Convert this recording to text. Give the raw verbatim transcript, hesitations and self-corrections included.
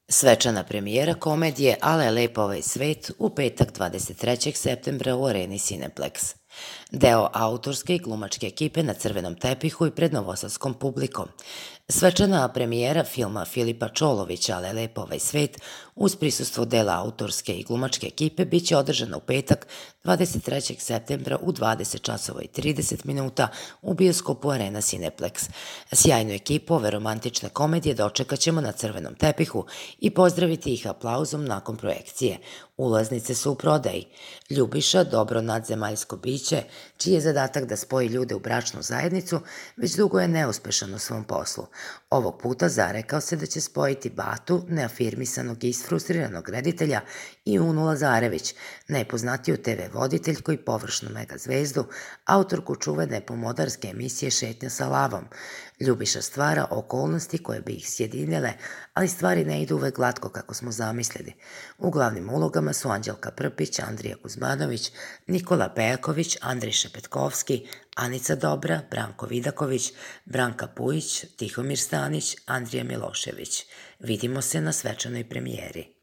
Svečana premijera komedije Ale je lep ovaj svet u petak dvadeset trećeg septembra u areni Cineplex. Deo autorske i glumačke ekipe na crvenom tepihu i pred novosadskom publikom. Svečana premijera filma Filipa Čolovića Ale je lep ovaj svet uz prisustvo dela autorske i glumačke ekipe biće održana u petak dvadeset trećeg septembra u dvadeset časova i trideset minuta u bioskopu Arena Cineplex. Sjajnu ekipu ove romantične komedije dočekat ćemo na crvenom tepihu i pozdraviti ih aplauzom nakon projekcije. Ulaznice su u prodaji. Ljubiša, dobro nadzemaljsko biće, čiji je zadatak da spoji ljude u bračnu zajednicu, već dugo je neuspešan u svom poslu. Ovog puta zarekao se da će spojiti Batu, neafirmisanog i isfrustriranog reditelja, i Unu Lazarević, nepoznatiju te ve voditeljku i površnu mega zvezdu, autorku čuvene pomodarske emisije Šetnja sa lavom. Ljubiša stvara okolnosti koje bi ih sjedinjele, ali stvari ne idu uvek glatko kako smo zamislili. U glavnim ulogama su Anđelka Prpić, Andrija Kuzmanović, Nikola Pejaković, Andrej Šepetkovski, Anica Dobra, Branko Vidaković, Branka Pujić, Tihomir Stanić, Andrija Milošević. Vidimo se na svečanoj premijeri.